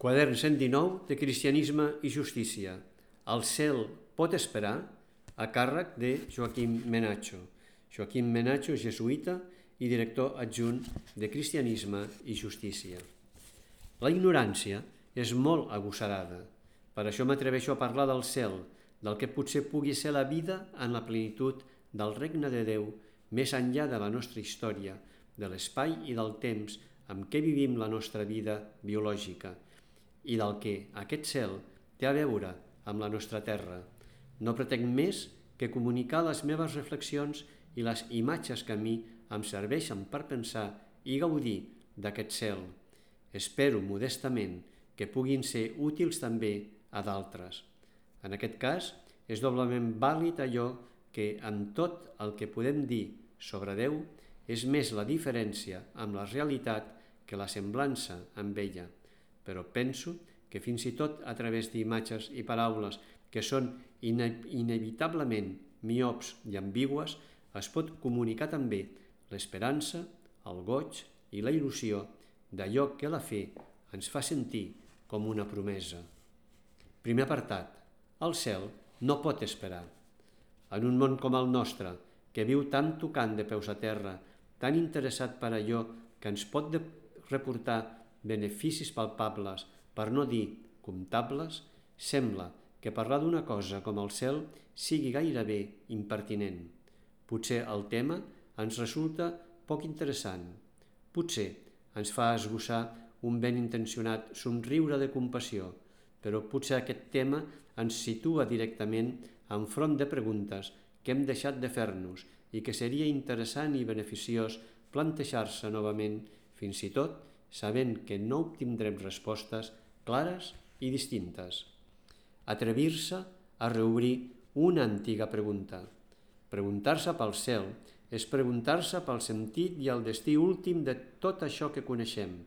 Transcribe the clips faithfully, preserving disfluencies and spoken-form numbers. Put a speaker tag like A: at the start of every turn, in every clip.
A: Quadern cent dinou de Cristianisme i Justícia. El cel pot esperar, a càrrec de Joaquim Menacho. Joaquim Menacho, jesuïta i director adjunt de Cristianisme i Justícia. La ignorància és molt agosarada. Per això m'atreveixo a parlar del cel, del que potser pugui ser la vida en la plenitud del regne de Déu, més enllà de la nostra història, de l'espai i del temps amb què vivim la nostra vida biològica, i del que aquest cel té a veure amb la nostra terra. No pretenc més que comunicar les meves reflexions i les imatges que a mi em serveixen per pensar i gaudir d'aquest cel. Espero modestament que puguin ser útils també a d'altres. En aquest cas, és doblement vàlid allò que amb tot el que podem dir sobre Déu és més la diferència amb la realitat que la semblança amb ella. Però penso que fins i tot a través d'imatges i paraules que són ine- inevitablement miops i ambigües es pot comunicar també l'esperança, el goig i la il·lusió d'allò que la fe ens fa sentir com una promesa. Primer apartat. El cel no pot esperar. En un món com el nostre, que viu tan tocant de peus a terra, tan interessat per allò que ens pot de- reportar beneficis palpables, per no dir comptables, sembla que parlar d'una cosa com el cel sigui gairebé impertinent. Potser el tema ens resulta poc interessant. Potser ens fa esbossar un ben intencionat somriure de compassió, però potser aquest tema ens situa directament enfront de preguntes que hem deixat de fer-nos i que seria interessant i beneficiós plantejar-se novament, fins i tot sabent que no obtindrem respostes clares i distintes. Atrevir-se a reobrir una antiga pregunta. Preguntar-se pel cel és preguntar-se pel sentit i el destí últim de tot això que coneixem,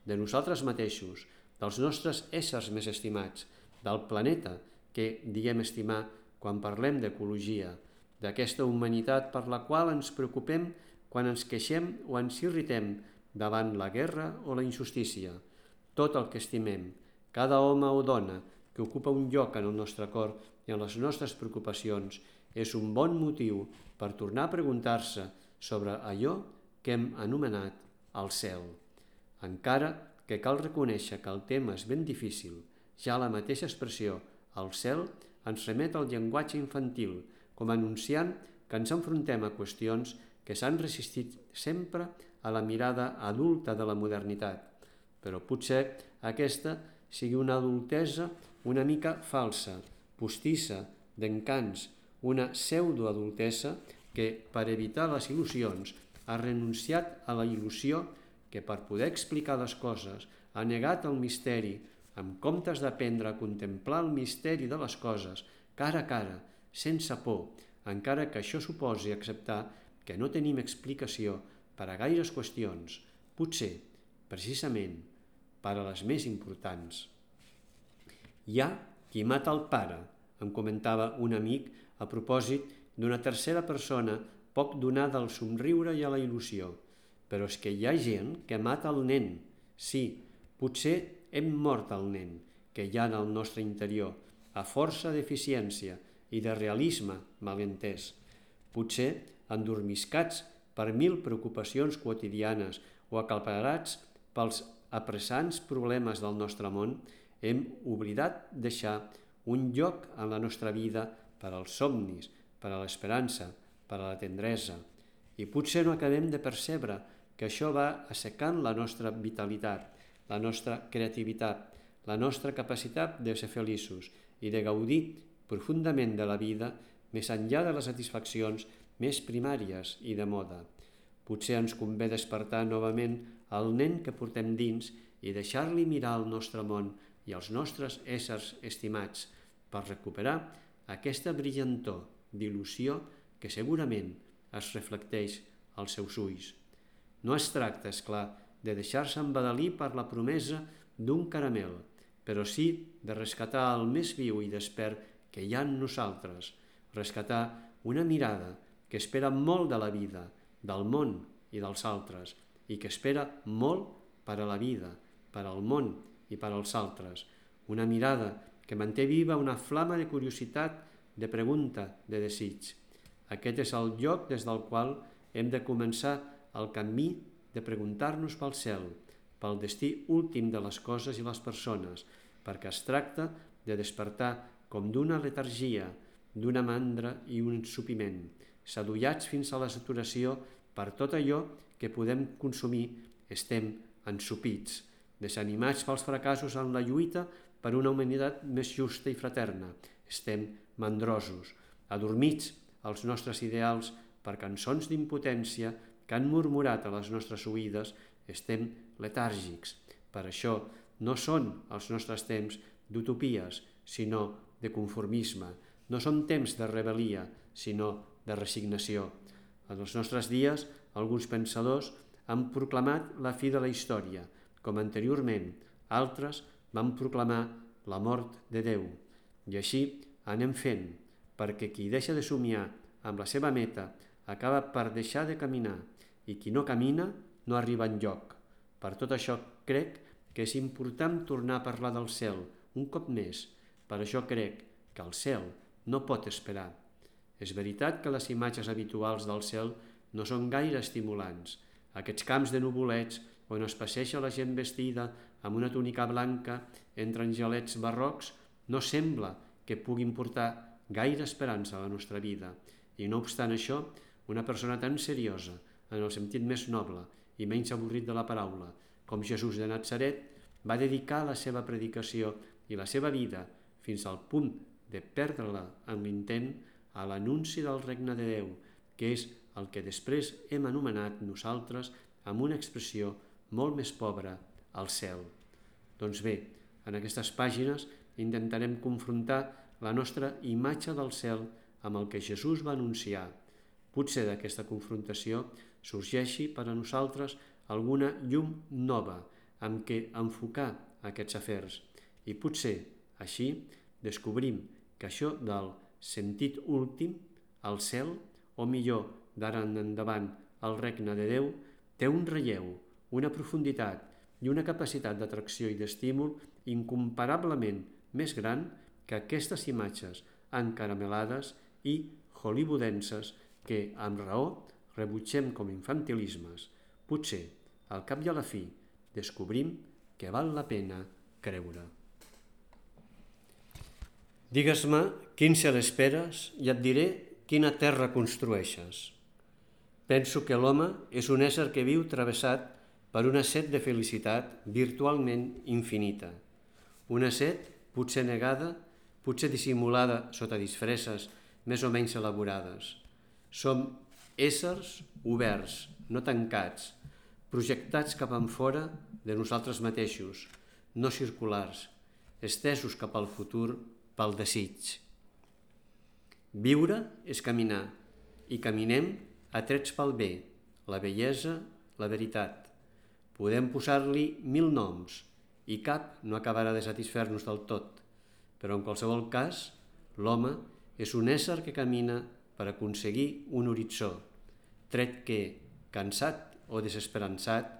A: de nosaltres mateixos, dels nostres éssers més estimats, del planeta que diem estimar quan parlem d'ecologia, d'aquesta humanitat per la qual ens preocupem quan ens queixem o ens irritem davant la guerra o la injustícia. Tot el que estimem, cada home o dona que ocupa un lloc en el nostre cor i en les nostres preocupacions, és un bon motiu per tornar a preguntar-se sobre allò que hem anomenat el cel. Encara que cal reconèixer que el tema és ben difícil, ja la mateixa expressió, el cel, ens remet al llenguatge infantil, com anunciant que ens enfrontem a qüestions que s'han resistit sempre a la mirada adulta de la modernitat. Però potser aquesta sigui una adultesa una mica falsa, postissa, d'encants, una pseudoadultesa que, per evitar les il·lusions, ha renunciat a la il·lusió que, per poder explicar les coses, ha negat el misteri, en comptes d'aprendre a contemplar el misteri de les coses, cara a cara, sense por, encara que això suposi acceptar que no tenim explicació per a gaires qüestions, potser, precisament, per a les més importants. Hi ha qui mata el pare, em comentava un amic a propòsit d'una tercera persona poc donada al somriure i a la il·lusió. Però és que hi ha gent que mata el nen. Sí, potser hem mort el nen que hi ha en el nostre interior, a força d'eficiència i de realisme malentès. Potser endormiscats per mil preocupacions quotidianes o acalparats pels apressants problemes del nostre món, hem oblidat deixar un lloc en la nostra vida per als somnis, per a l'esperança, per a la tendresa. I potser no acabem de percebre que això va assecant la nostra vitalitat, la nostra creativitat, la nostra capacitat de ser feliços i de gaudir profundament de la vida més enllà de les satisfaccions més primàries i de moda. Potser ens convé despertar novament el nen que portem dins i deixar-li mirar el nostre món i els nostres éssers estimats per recuperar aquesta brillantor d'il·lusió que segurament es reflecteix als seus ulls. No es tracta, és clar, de deixar-se embadalir per la promesa d'un caramel, però sí de rescatar el més viu i despert que hi ha en nosaltres, rescatar una mirada que espera molt de la vida, del món i dels altres, i que espera molt per a la vida, per al món i per als altres. Una mirada que manté viva una flama de curiositat, de pregunta, de desig. Aquest és el lloc des del qual hem de començar el camí de preguntar-nos pel cel, pel destí últim de les coses i les persones, perquè es tracta de despertar com d'una letargia, d'una mandra i un ensupiment, sadollats fins a la saturació per tot allò que podem consumir, estem ensupits, desanimats pels fracassos en la lluita per una humanitat més justa i fraterna, estem mandrosos, adormits als nostres ideals per cançons d'impotència que han murmurat a les nostres oïdes, estem letàrgics. Per això no són els nostres temps d'utopies, sinó de conformisme. No són temps de rebel·lia, sinó de resignació. En els nostres dies, alguns pensadors han proclamat la fi de la història, com anteriorment altres van proclamar la mort de Déu. I així anem fent, perquè qui deixa de somiar amb la seva meta acaba per deixar de caminar, i qui no camina no arriba enlloc. Per tot això crec que és important tornar a parlar del cel un cop més. Per això crec que el cel no pot esperar. És veritat que les imatges habituals del cel no són gaire estimulants. Aquests camps de nuvolets on es passeja la gent vestida amb una túnica blanca entre angelets barrocs no sembla que puguin portar gaire esperança a la nostra vida. I no obstant això, una persona tan seriosa, en el sentit més noble i menys avorrit de la paraula, com Jesús de Natzaret, va dedicar la seva predicació i la seva vida, fins al punt de perdre-la en l'intent, a l'anunci del regne de Déu, que és el que després hem anomenat nosaltres amb una expressió molt més pobra, al cel. Doncs bé, en aquestes pàgines intentarem confrontar la nostra imatge del cel amb el que Jesús va anunciar. Potser d'aquesta confrontació sorgeixi per a nosaltres alguna llum nova amb què enfocar aquests afers. I potser, així, descobrim que això del sentit últim, al cel, o millor, d'ara en endavant, el regne de Déu, té un relleu, una profunditat i una capacitat d'atracció i d'estímul incomparablement més gran que aquestes imatges encaramelades i hollywoodenses que, amb raó, rebutgem com infantilismes. Potser, al cap i a la fi, descobrim que val la pena creure. Digues-me quin cel esperes i et diré quina terra construeixes. Penso que l'home és un ésser que viu travessat per una set de felicitat virtualment infinita. Una set potser negada, potser dissimulada sota disfresses més o menys elaborades. Som éssers oberts, no tancats, projectats cap enfora de nosaltres mateixos, no circulars, estesos cap al futur pel desig. Viure és caminar, i caminem atrets pel bé, la bellesa, la veritat. Podem posar-li mil noms, i cap no acabarà de satisfer-nos del tot, però en qualsevol cas, l'home és un ésser que camina per aconseguir un horitzó, tret que, cansat o desesperançat,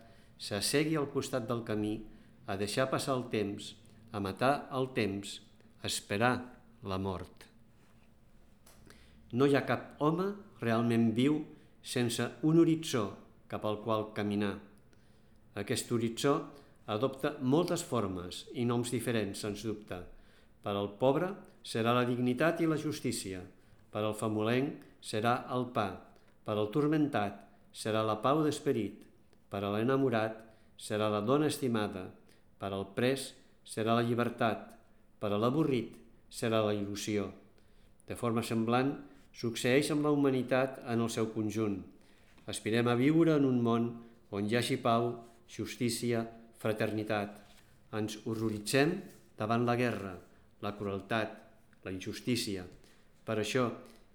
A: s'assegui al costat del camí a deixar passar el temps, a matar el temps, a esperar la mort. No hi ha cap home realment viu sense un horitzó cap al qual caminar. Aquest horitzó adopta moltes formes i noms diferents, sens dubte. Per al pobre serà la dignitat i la justícia, per al famolenc serà el pa, per al turmentat serà la pau d'esperit, per a l'enamorat serà la dona estimada, per al pres serà la llibertat, per a l'avorrit serà la il·lusió. De forma semblant, succeeix amb la humanitat en el seu conjunt. Aspirem a viure en un món on hi hagi pau, justícia, fraternitat. Ens horroritzem davant la guerra, la crueltat, la injustícia. Per això,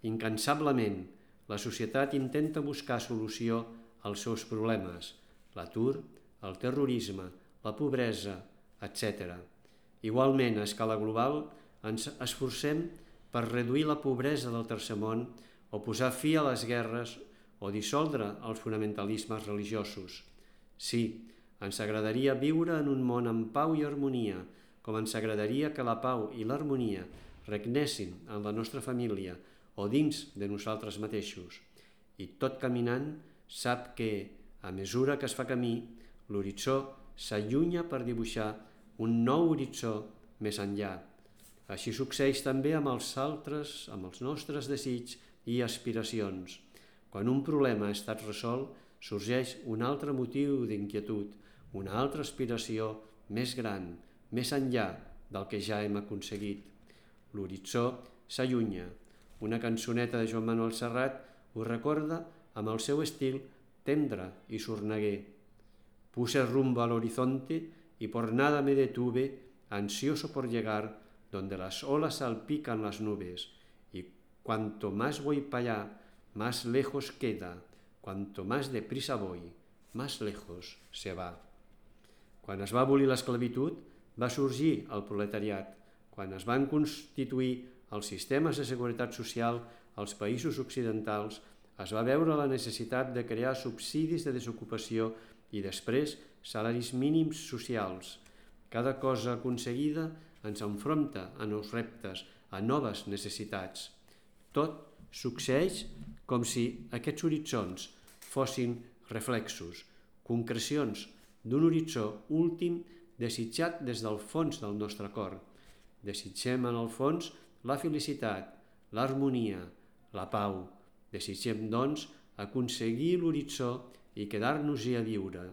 A: incansablement, la societat intenta buscar solució als seus problemes, l'atur, el terrorisme, la pobresa, etcètera. Igualment, a escala global, ens esforcem per reduir la pobresa del tercer món o posar fi a les guerres o dissoldre els fonamentalismes religiosos. Sí, Ens agradaria viure en un món amb pau i harmonia, com ens agradaria que la pau i l'harmonia regnessin en la nostra família o dins de nosaltres mateixos. I tot caminant sap que, a mesura que es fa camí, l'horitzó s'allunya per dibuixar un nou horitzó més enllà. Així succeeix també amb els altres, amb els nostres desitjos i aspiracions. Quan un problema ha estat resolt, sorgeix un altre motiu d'inquietud, una altra aspiració més gran, més enllà del que ja hem aconseguit. L'horitzó s'allunya. Una cançoneta de Joan Manuel Serrat ho recorda amb el seu estil tendre i sorneguer. Puse rumbo al horizonte y por nada me detuve, ansioso por llegar donde las olas salpican las nubes, y cuanto más voy para allá, más lejos queda, cuanto más deprisa voy, más lejos se va. Quan es va abolir l'esclavitud, va sorgir el proletariat. Quan es van constituir els sistemes de seguretat social als països occidentals, es va veure la necessitat de crear subsidis de desocupació i després salaris mínims socials. Cada cosa aconseguida ens enfronta a nous reptes, a noves necessitats. Tot succeeix com si aquests horitzons fossin reflexos, concrecions d'un horitzó últim desitjat des del fons del nostre cor. Desitgem en el fons la felicitat, l'harmonia, la pau. Desitgem, doncs, aconseguir l'horitzó i quedar-nos-hi a viure.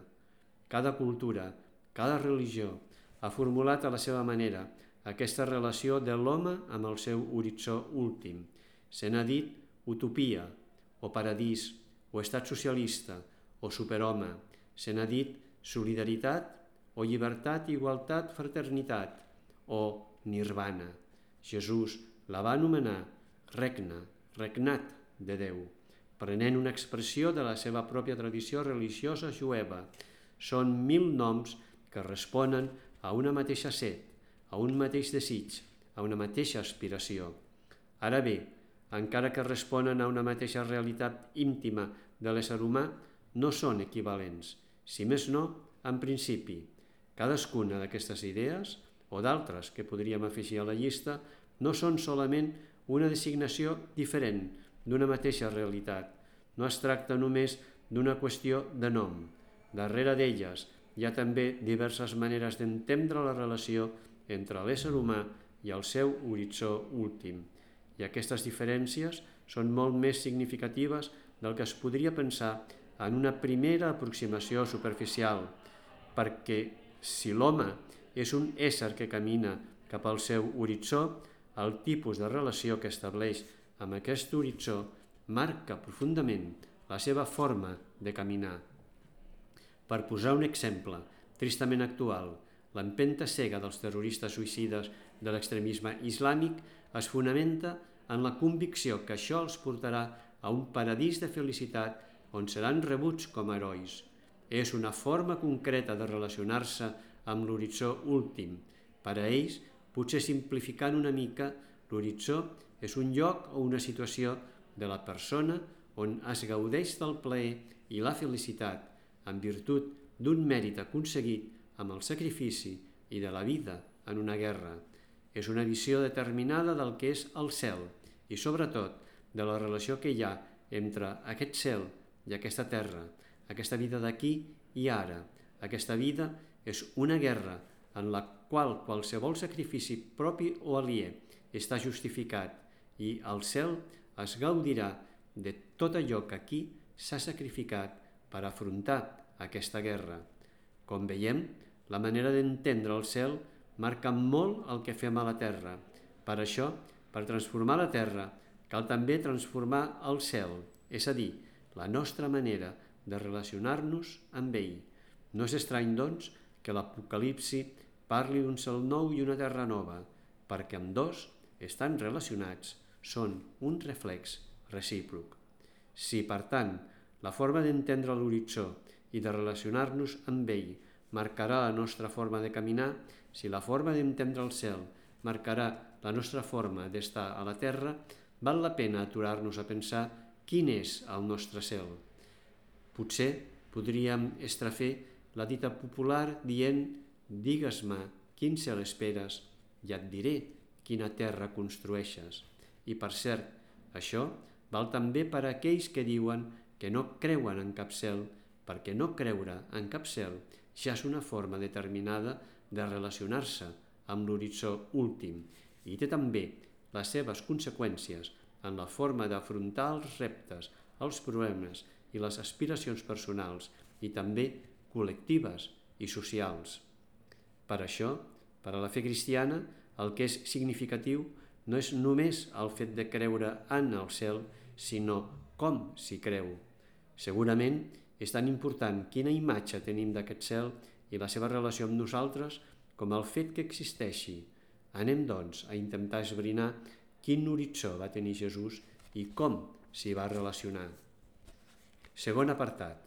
A: Cada cultura, cada religió ha formulat a la seva manera aquesta relació de l'home amb el seu horitzó últim. Se n'ha dit utopia, o paradís, o estat socialista, o superhome. Se n'ha dit solidaritat, o llibertat, igualtat, fraternitat, o nirvana. Jesús la va anomenar regne, regnat de Déu, prenent una expressió de la seva pròpia tradició religiosa jueva. Són mil noms que responen a una mateixa set, a un mateix desig, a una mateixa aspiració. Ara bé, encara que responen a una mateixa realitat íntima de l'ésser humà, no són equivalents. Si més no, en principi, cadascuna d'aquestes idees, o d'altres que podríem afegir a la llista, no són solament una designació diferent d'una mateixa realitat. No es tracta només d'una qüestió de nom. Darrere d'elles hi ha també diverses maneres d'entendre la relació entre l'ésser humà i el seu horitzó últim. I aquestes diferències són molt més significatives del que es podria pensar en una primera aproximació superficial, perquè si l'home és un ésser que camina cap al seu horitzó, el tipus de relació que estableix amb aquest horitzó marca profundament la seva forma de caminar. Per posar un exemple tristament actual, l'empenta cega dels terroristes suïcides de l'extremisme islàmic es fonamenta en la convicció que això els portarà a un paradís de felicitat on seran rebuts com a herois. És una forma concreta de relacionar-se amb l'horitzó últim. Per a ells, potser simplificant una mica, l'horitzó és un lloc o una situació de la persona on es gaudeix del plaer i la felicitat en virtut d'un mèrit aconseguit amb el sacrifici i de la vida en una guerra. És una visió determinada del que és el cel i, sobretot, de la relació que hi ha entre aquest cel i aquesta terra, aquesta vida d'aquí i ara. Aquesta vida és una guerra en la qual qualsevol sacrifici propi o aliè està justificat i el cel es gaudirà de tot allò que aquí s'ha sacrificat per afrontar aquesta guerra. Com veiem, la manera d'entendre el cel marca molt el que fem a la terra. Per això, per transformar la terra, cal també transformar el cel, és a dir, la nostra manera de relacionar-nos amb ell. No és estrany, doncs, que l'Apocalipsi parli d'un cel nou i una terra nova, perquè ambdós estan relacionats, són un reflex recíproc. Si, per tant, la forma d'entendre l'horitzó i de relacionar-nos amb ell marcarà la nostra forma de caminar, si la forma d'entendre el cel marcarà la nostra forma d'estar a la terra, val la pena aturar-nos a pensar quin és el nostre cel. Potser podríem estrafer la dita popular dient «Digues-me quin cel esperes i et diré quina terra construeixes». I per cert, això val també per a aquells que diuen que no creuen en cap cel, perquè no creure en cap cel ja és una forma determinada de relacionar-se amb l'horitzó últim i té també les seves conseqüències en la forma d'afrontar els reptes, els problemes i les aspiracions personals i també col·lectives i socials. Per això, per a la fe cristiana, el que és significatiu no és només el fet de creure en el cel, sinó com s'hi creu. Segurament és tan important quina imatge tenim d'aquest cel i la seva relació amb nosaltres com el fet que existeixi. Anem, doncs, a intentar esbrinar quin horitzó va tenir Jesús i com s'hi va relacionar. Segon apartat,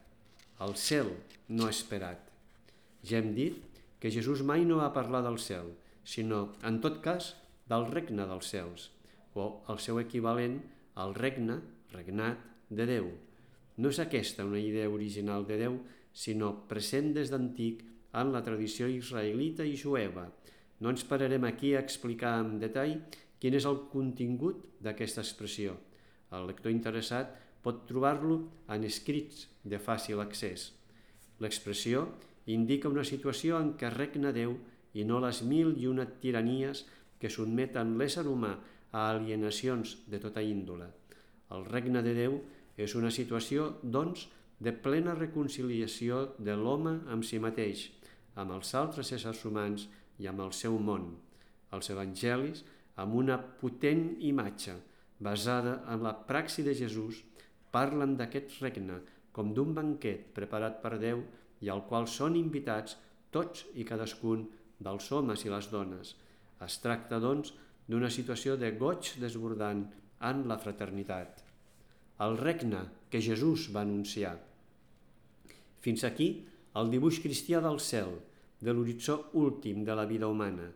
A: el cel no esperat. Ja hem dit que Jesús mai no va parlar del cel, sinó, en tot cas, del regne dels cels, o el seu equivalent al regne, regnat, de Déu. No és aquesta una idea original de Déu, sinó present des d'antic en la tradició israelita i jueva. No ens pararem aquí a explicar en detall quin és el contingut d'aquesta expressió. El lector interessat pot trobar-lo en escrits de fàcil accés. L'expressió indica una situació en què regna Déu i no les mil i una tiranies que sotmeten l'ésser humà a alienacions de tota índole. El regne de Déu és una situació, doncs, de plena reconciliació de l'home amb si mateix, amb els altres éssers humans i amb el seu món. Els evangelis, amb una potent imatge basada en la praxi de Jesús, parlen d'aquest regne com d'un banquet preparat per Déu i al qual són invitats tots i cadascun dels homes i les dones. Es tracta, doncs, d'una situació de goig desbordant en la fraternitat. El regne que Jesús va anunciar. Fins aquí el dibuix cristià del cel, de l'horitzó últim de la vida humana.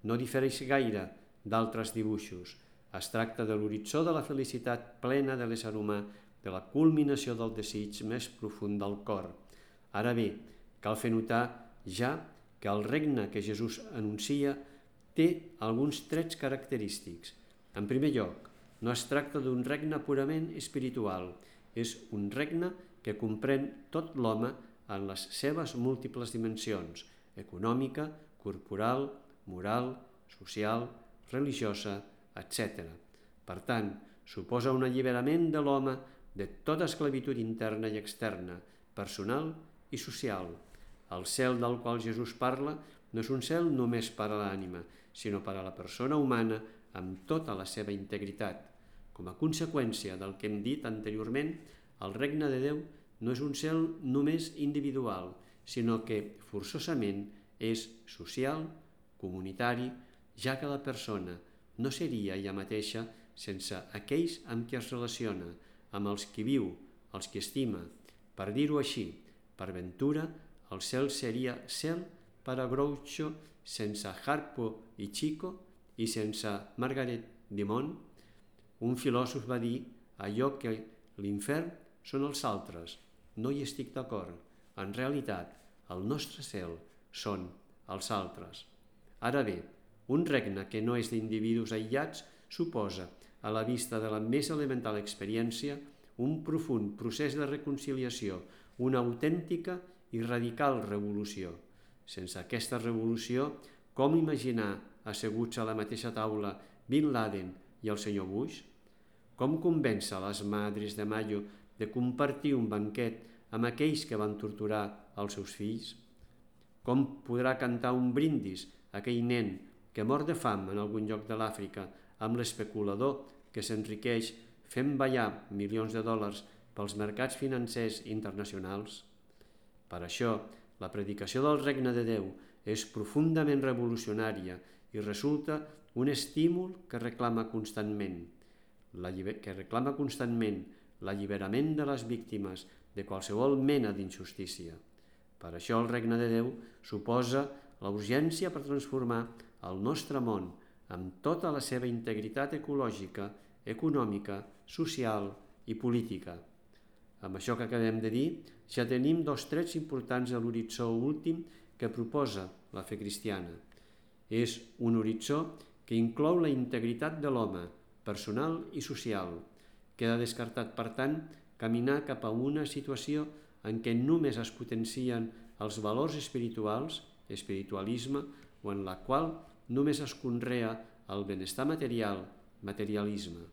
A: No difereix gaire d'altres dibuixos. Es tracta de l'horitzó de la felicitat plena de l'ésser humà, de la culminació del desig més profund del cor. Ara bé, cal fer notar ja que el regne que Jesús anuncia té alguns trets característics. En primer lloc, no es tracta d'un regne purament espiritual, és un regne que comprèn tot l'home en les seves múltiples dimensions, econòmica, corporal, moral, social, religiosa, etcètera. Per tant, suposa un alliberament de l'home de tota esclavitud interna i externa, personal i social. El cel del qual Jesús parla no és un cel només per a l'ànima, sinó per a la persona humana amb tota la seva integritat. Com a conseqüència del que hem dit anteriorment, el regne de Déu no és un cel només individual, sinó que forçosament és social, comunitari, ja que la persona no seria ella mateixa sense aquells amb qui es relaciona, amb els qui viu, els qui estima. Per dir-ho així, per ventura, el cel seria cel per a Groucho sense Harpo i Chico i sense Margaret Dumont. Un filòsof va dir allò que l'infern són els altres. No hi estic d'acord. En realitat, el nostre cel són els altres. Ara bé, un regne que no és d'individus aïllats suposa, a la vista de la més elemental experiència, un profund procés de reconciliació, una autèntica i radical revolució. Sense aquesta revolució, com imaginar asseguts a la mateixa taula Bin Laden i el senyor Bush? Com convèncer les Madres de Mayo de compartir un banquet amb aquells que van torturar els seus fills? Com podrà cantar un brindis aquell nen que mor de fam en algun lloc de l'Àfrica amb l'especulador que s'enriqueix fent ballar milions de dòlars pels mercats financers internacionals? Per això, la predicació del regne de Déu és profundament revolucionària i resulta un estímul que reclama constantment, la lliber... que reclama constantment l'alliberament de les víctimes de qualsevol mena d'injustícia. Per això el regne de Déu suposa la urgència per transformar el nostre món amb tota la seva integritat ecològica, econòmica, social i política. Amb això que acabem de dir, ja tenim dos trets importants a l'horitzó últim que proposa la fe cristiana. És un horitzó que inclou la integritat de l'home, personal i social. Queda descartat, per tant, caminar cap a una situació en què només es potencien els valors espirituals, espiritualisme, o en la qual només es conrea el benestar material, materialisme.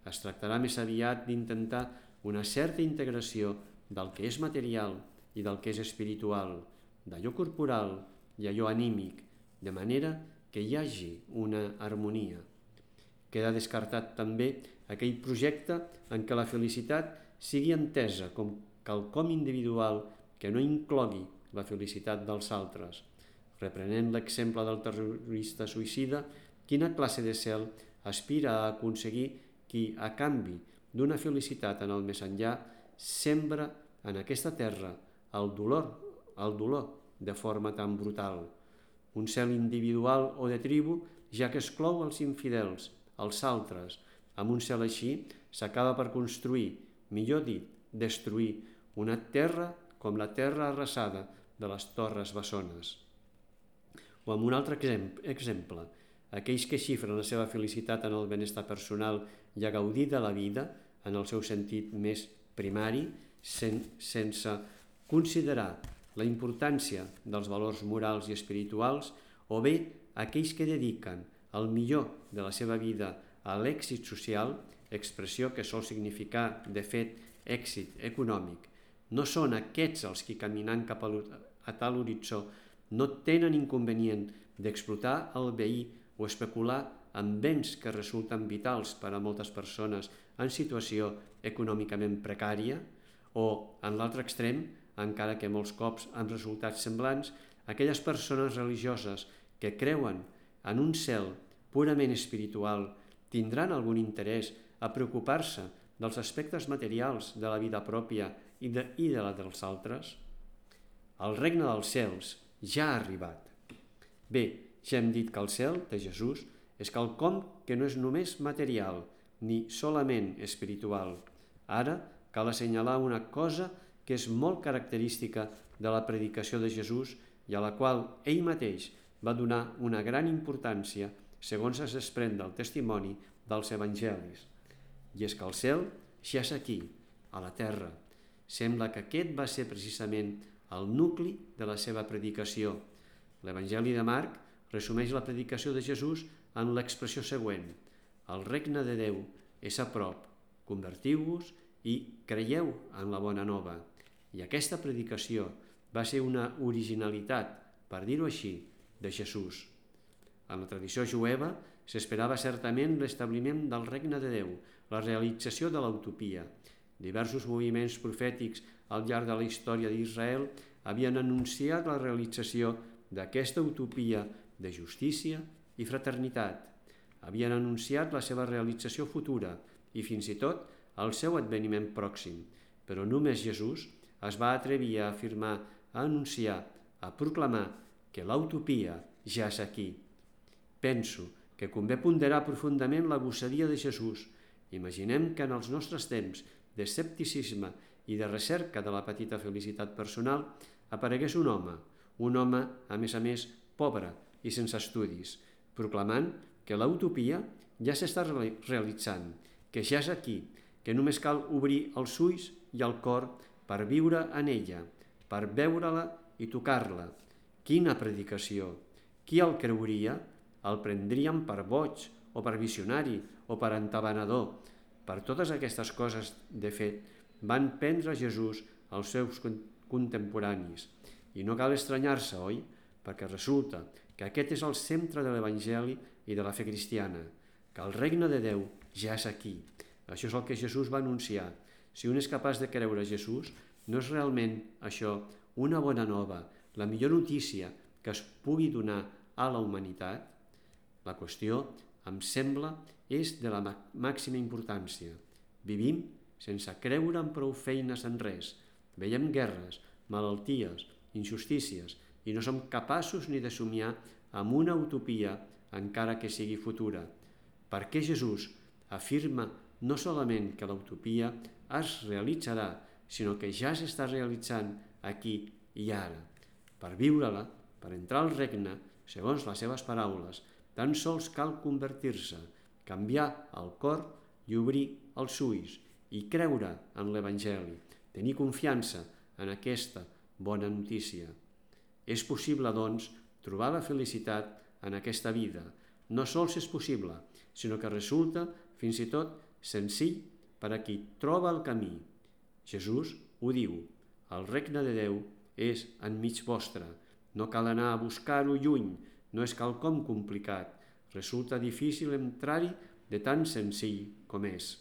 A: Es tractarà més aviat d'intentar una certa integració del que és material i del que és espiritual, d'allò corporal i allò anímic, de manera que hi hagi una harmonia. Queda descartat també aquell projecte en què la felicitat sigui entesa com quelcom individual que no inclogui la felicitat dels altres. Reprenent l'exemple del terrorista suïcida, quina classe de cel aspira a aconseguir qui, a canvi d'una felicitat en el més enllà, sembra en aquesta terra el dolor, el dolor de forma tan brutal. Un cel individual o de tribu, ja que exclou els infidels, els altres. Amb un cel així s'acaba per construir, millor dit, destruir, una terra com la terra arrasada de les Torres Bessones. O amb un altre exemple, aquells que xifren la seva felicitat en el benestar personal i a gaudir de la vida en el seu sentit més primari, sen, sense considerar la importància dels valors morals i espirituals, o bé aquells que dediquen el millor de la seva vida a l'èxit social, expressió que sol significar, de fet, èxit econòmic. No són aquests els que, caminant cap a tal horitzó, no tenen inconvenient d'explotar el veí o especular amb béns que resulten vitals per a moltes persones en situació econòmicament precària, o, en l'altre extrem, encara que molts cops amb resultats semblants, aquelles persones religioses que creuen en un cel purament espiritual tindran algun interès a preocupar-se dels aspectes materials de la vida pròpia i de, i de la dels altres? El regne dels cels ja ha arribat. Bé, ja hem dit que el cel de Jesús és quelcom que no és només material ni solament espiritual. Ara cal assenyalar una cosa que és molt característica de la predicació de Jesús i a la qual ell mateix va donar una gran importància segons es desprèn del testimoni dels evangelis. I és que el cel ja és aquí, a la terra. Sembla que aquest va ser precisament el nucli de la seva predicació. L'Evangeli de Marc resumeix la predicació de Jesús en l'expressió següent: el regne de Déu és a prop, convertiu-vos i creieu en la bona nova. I aquesta predicació va ser una originalitat, per dir-ho així, de Jesús. En la tradició jueva s'esperava certament l'establiment del regne de Déu, la realització de l'utopia. Diversos moviments profètics al llarg de la història d'Israel havien anunciat la realització d'aquesta utopia de justícia i fraternitat. Havien anunciat la seva realització futura i fins i tot el seu adveniment pròxim, però només Jesús es va atrevir a afirmar, a anunciar, a proclamar que l'utopia ja és aquí. Penso que convé ponderar profundament la gossadia de Jesús. Imaginem que en els nostres temps d'escepticisme i de recerca de la petita felicitat personal aparegués un home, un home, a més a més, pobre i sense estudis, proclamant que l'utopia ja s'està realitzant, que ja és aquí, que només cal obrir els ulls i el cor per viure en ella, per veure-la i tocar-la. Quina predicació! Qui el creuria? El prendríem per boig, o per visionari, o per entabanador. Per totes aquestes coses, de fet, van prendre Jesús els seus contemporanis. I no cal estranyar-se, oi? Perquè resulta que aquest és el centre de l'Evangeli i de la fe cristiana, que el regne de Déu ja és aquí. Això és el que Jesús va anunciar. Si un és capaç de creure Jesús, no és realment això una bona nova, la millor notícia que es pugui donar a la humanitat? La qüestió, em sembla, és de la màxima importància. Vivim sense creure en prou feines en res. Veiem guerres, malalties, injustícies, i no som capaços ni de somiar amb una utopia, encara que sigui futura. Per què Jesús afirma no solament que l'utopia es realitzarà, sinó que ja s'està realitzant aquí i ara. Per viure-la, per entrar al regne, segons les seves paraules, tan sols cal convertir-se, canviar el cor i obrir els ulls i creure en l'Evangeli, tenir confiança en aquesta bona notícia. És possible, doncs, trobar la felicitat en aquesta vida. No sols és possible, sinó que resulta fins i tot senzill per a qui troba el camí. Jesús ho diu: el regne de Déu és enmig vostre. No cal anar a buscar-ho lluny, no és quelcom complicat. Resulta difícil entrar-hi de tan senzill com és.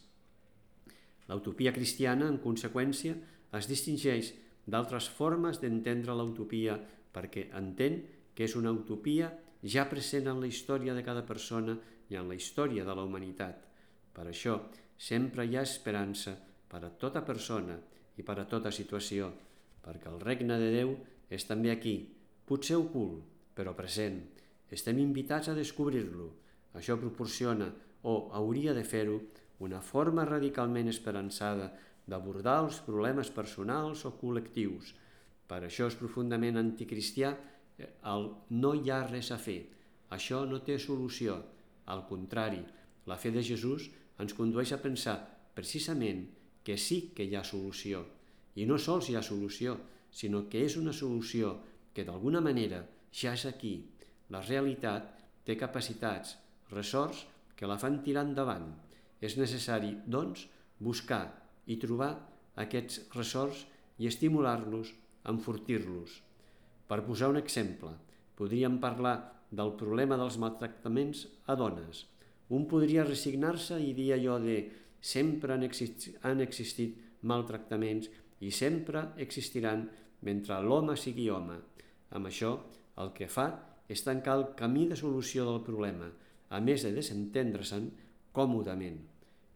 A: L'utopia cristiana, en conseqüència, es distingeix d'altres formes d'entendre l'utopia perquè entén que és una utopia ja present en la història de cada persona i en la història de la humanitat. Per això, sempre hi ha esperança per a tota persona i per a tota situació, perquè el regne de Déu és també aquí, potser ocult, però present. Estem invitats a descobrir-lo. Això proporciona, o hauria de fer-ho, una forma radicalment esperançada d'abordar els problemes personals o col·lectius. Per això és profundament anticristià el no hi ha res a fer. Això no té solució. Al contrari, la fe de Jesús ens condueix a pensar precisament que sí que hi ha solució. I no sols hi ha solució, sinó que és una solució que d'alguna manera ja és aquí. La realitat té capacitats, ressorts que la fan tirar endavant. És necessari, doncs, buscar i trobar aquests ressorts i estimular-los, enfortir-los. Per posar un exemple, podríem parlar del problema dels maltractaments a dones. Un podria resignar-se i dir allò de sempre han existit, han existit maltractaments i sempre existiran mentre l'home sigui home. Amb això, el que fa és tancar el camí de solució del problema, a més de desentendre-se'n còmodament.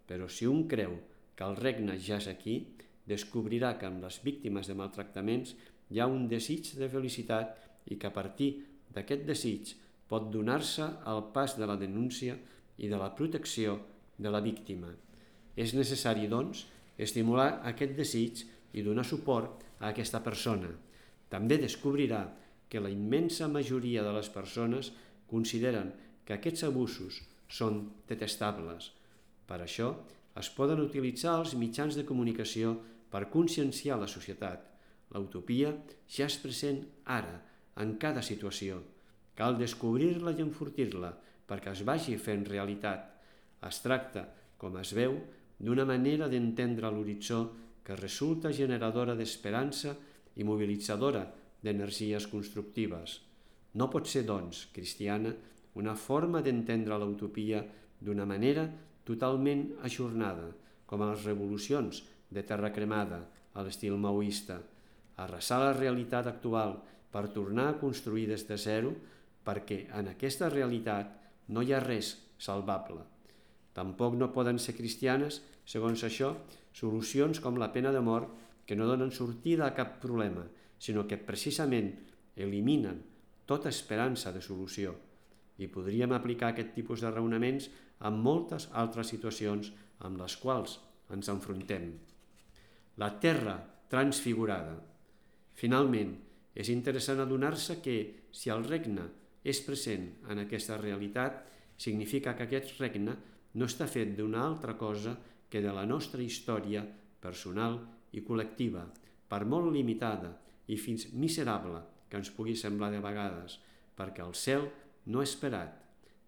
A: Però si un creu que el regne ja és aquí, descobrirà que en les víctimes de maltractaments hi ha un desig de felicitat i que a partir d'aquest desig pot donar-se al pas de la denúncia i de la protecció de la víctima. És necessari, doncs, estimular aquest desig i donar suport a aquesta persona. També descobrirà que la immensa majoria de les persones consideren que aquests abusos són detestables. Per això, es poden utilitzar els mitjans de comunicació per conscienciar la societat. L'utopia ja és present ara, en cada situació. Cal descobrir-la i enfortir-la perquè es vagi fent realitat. Es tracta, com es veu, d'una manera d'entendre l'horitzó que resulta generadora d'esperança i mobilitzadora d'energies constructives. No pot ser, doncs, cristiana, una forma d'entendre l'utopia d'una manera totalment ajornada, com a les revolucions de terra cremada a l'estil maoista, arrasar la realitat actual per tornar a construir des de zero, perquè en aquesta realitat no hi ha res salvable. Tampoc no poden ser cristianes, segons això, solucions com la pena de mort que no donen sortida a cap problema, sinó que precisament eliminen tota esperança de solució. I podríem aplicar aquest tipus de raonaments en moltes altres situacions amb les quals ens enfrontem. La terra transfigurada. Finalment, és interessant adonar-se que, si el regne és present en aquesta realitat, significa que aquest regne no està fet d'una altra cosa que de la nostra història personal i col·lectiva, per molt limitada i fins miserable que ens pugui semblar de vegades, perquè el cel no ha esperat.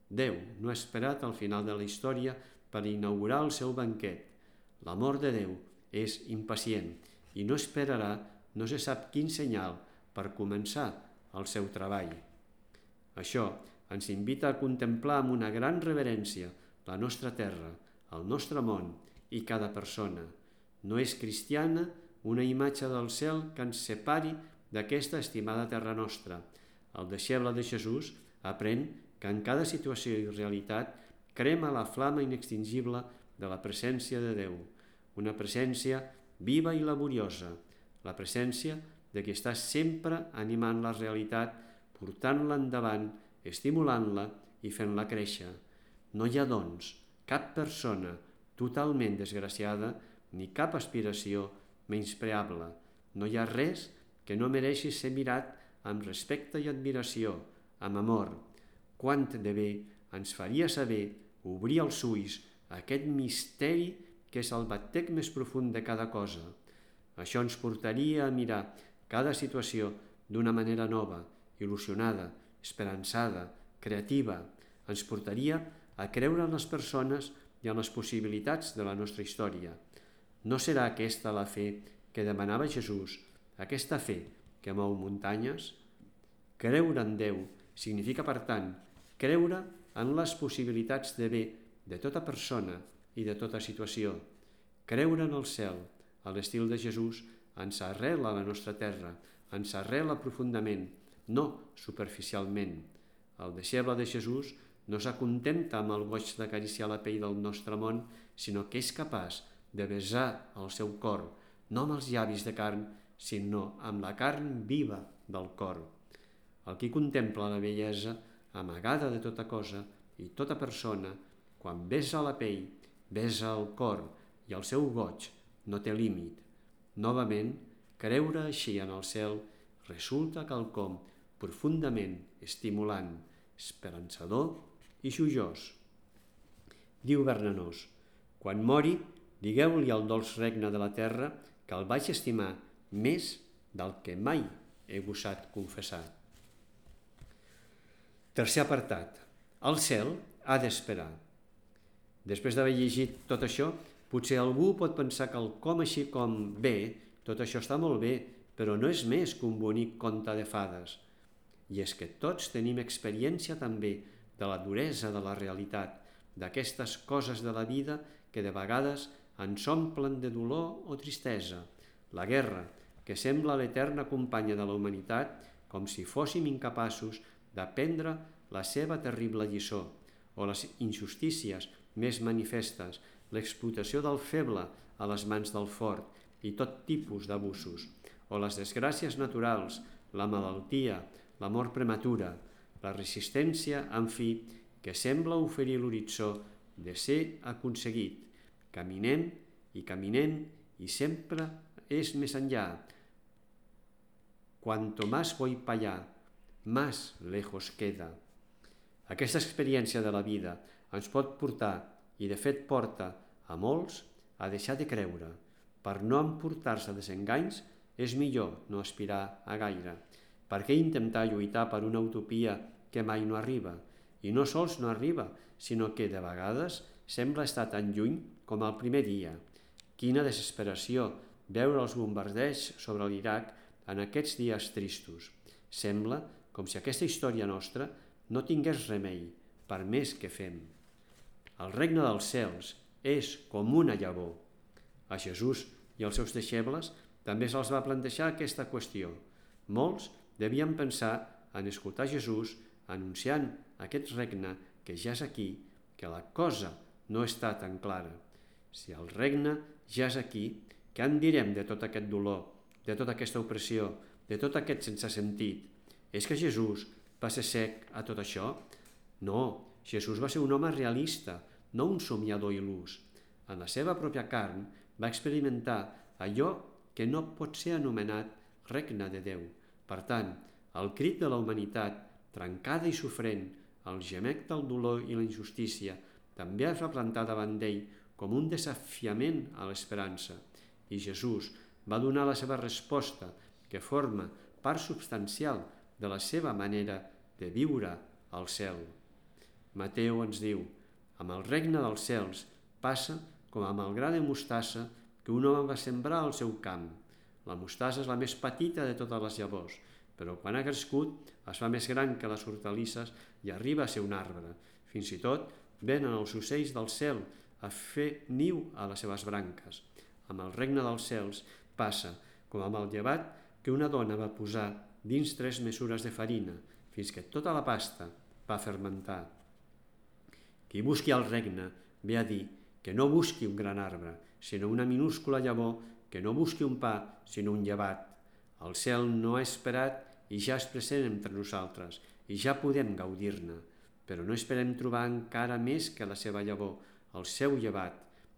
A: Déu no ha esperat al final de la història per inaugurar el seu banquet. L'amor de Déu és impacient i no esperarà no se sap quin senyal per començar el seu treball. Això ens invita a contemplar amb una gran reverència la nostra terra, el nostre món i cada persona. No és cristiana una imatge del cel que ens separi d'aquesta estimada terra nostra. El deixeble de Jesús aprèn que en cada situació i realitat crema la flama inextingible de la presència de Déu, una presència viva i laboriosa, la presència de qui està sempre animant la realitat, portant-la endavant, estimulant-la i fent-la créixer. No hi ha, doncs, cap persona totalment desgraciada ni cap aspiració menyspreable. No hi ha res que no mereixi ser mirat amb respecte i admiració, amb amor. Quant de bé ens faria saber obrir els ulls a aquest misteri que és el batec més profund de cada cosa. Això ens portaria a mirar cada situació d'una manera nova, il·lusionada, esperançada, creativa. Ens portaria a creure en les persones i en les possibilitats de la nostra història. No serà aquesta la fe que demanava Jesús, aquesta fe que mou muntanyes? Creure en Déu significa, per tant, creure en les possibilitats de bé de tota persona i de tota situació. Creure en el cel, a l'estil de Jesús, ens arrela a la nostra terra, ens arrela profundament, no superficialment. El deixeble de Jesús no s'acontenta amb el goig d'acariciar la pell del nostre món, sinó que és capaç de besar el seu cor, no amb els llavis de carn, sinó amb la carn viva del cor. El qui contempla la bellesa amagada de tota cosa i tota persona, quan besa la pell, besa el cor i el seu goig no té límit. Novament, creure així en el cel resulta quelcom profundament estimulant, esperançador i joiós. Diu Bernanos: quan mori, digueu-li al dolç regne de la terra que el vaig estimar més del que mai he gosat confessar. Tercer apartat. El cel ha d'esperar. Després d'haver llegit tot això, potser algú pot pensar que el com així com bé, tot això està molt bé, però no és més que un bonic conte de fades. I és que tots tenim experiència també de la duresa de la realitat, d'aquestes coses de la vida que de vegades ens omplen de dolor o tristesa. La guerra, que sembla l'eterna companya de la humanitat, com si fóssim incapaços d'aprendre la seva terrible lliçó, o les injustícies més manifestes, l'explotació del feble a les mans del fort i tot tipus d'abusos, o les desgràcies naturals, la malaltia, la mort prematura, la resistència, en fi, que sembla oferir l'horitzó de ser aconseguit. Caminem i caminem i sempre és més enllà. Cuanto más voy para allá, más lejos queda. Aquesta experiència de la vida ens pot portar, i de fet porta a molts, a deixar de creure. Per no emportar-se desenganys, és millor no aspirar a gaire. Per què intentar lluitar per una utopia que mai no arriba? I no sols no arriba, sinó que de vegades sembla estar tan lluny com el primer dia. Quina desesperació veure els bombardeigs sobre l'Iraq en aquests dies tristos. Sembla com si aquesta història nostra no tingués remei, per més que fem. El regne dels cels és com una llavor. A Jesús i als seus deixebles també se'ls va plantejar aquesta qüestió. Molts devien pensar en escoltar Jesús anunciant aquest regne que ja és aquí, que la cosa no està tan clara. Si el regne ja és aquí, què en direm de tot aquest dolor, de tota aquesta opressió, de tot aquest sense sentit? És que Jesús va ser cec a tot això? No, Jesús va ser un home realista, no un somiador il·lús. En la seva pròpia carn va experimentar allò que no pot ser anomenat regne de Déu. Per tant, el crit de la humanitat, trencada i sofrent, el gemec del dolor i la injustícia, també es va plantar davant d'ell com un desafiament a l'esperança. I Jesús va donar la seva resposta, que forma part substancial de la seva manera de viure al cel. Mateu ens diu: amb el regne dels cels passa com amb el gra de mostassa que un home va sembrar al seu camp. La mostassa és la més petita de totes les llavors, però quan ha crescut es fa més gran que les hortalisses i arriba a ser un arbre. Fins i tot venen els ocells del cel a fer niu a les seves branques. Amb el regne dels cels passa com amb el llevat que una dona va posar dins tres mesures de farina, fins que tota la pasta va fermentar. Qui busqui el regne ve a dir que no busqui un gran arbre, sinó una minúscula llavor, que no busqui un pa, sinó un llevat. El cel no ha esperat i ja és present entre nosaltres, i ja podem gaudir-ne, però no esperem trobar encara més que la seva llavor, el seu llevat.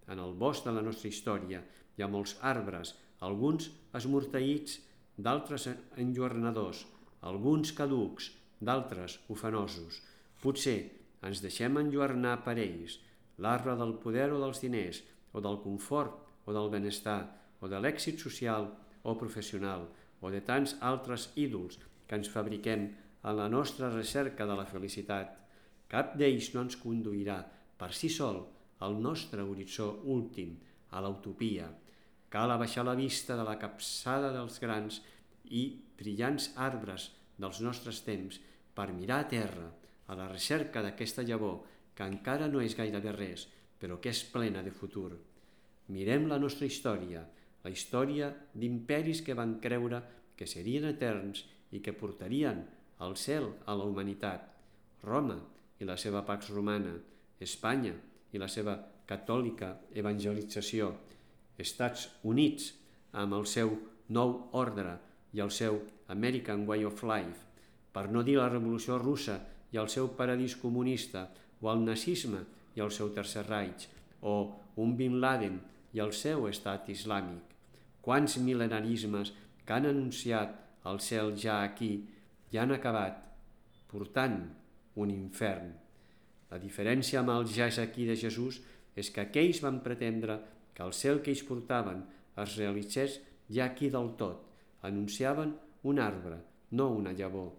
A: En el bosc de la nostra història hi ha molts arbres alguns esmorteïts, d'altres enlluernadors, alguns caducs, d'altres ufanosos. Potser ens deixem enlluernar per ells, l'arbre del poder o dels diners, o del confort o del benestar, o de l'èxit social o professional, o de tants altres ídols que ens fabriquem en la nostra recerca de la felicitat. Cap d'ells no ens conduirà per si sol al nostre horitzó últim, a l'utopia. Cal abaixar la vista de la capçada dels grans i brillants arbres dels nostres temps per mirar a terra, a la recerca d'aquesta llavor que encara no és gairebé res, però que és plena de futur. Mirem la nostra història, la història d'imperis que van creure que serien eterns i que portarien al cel a la humanitat. Roma i la seva Pax Romana, Espanya i la seva catòlica evangelització, Estats Units amb el seu nou ordre i el seu American Way of Life, per no dir la Revolució Russa i el seu paradís comunista, o el nazisme i el seu Tercer Reich, o un Bin Laden i el seu estat islàmic. Quants mil·lenarismes que han anunciat el cel ja aquí i han acabat portant un infern. La diferència amb el ja és aquí de Jesús és que aquells van pretendre que el cel que ells portaven es realitzés ja aquí del tot. Anunciaven un arbre, no una llavor.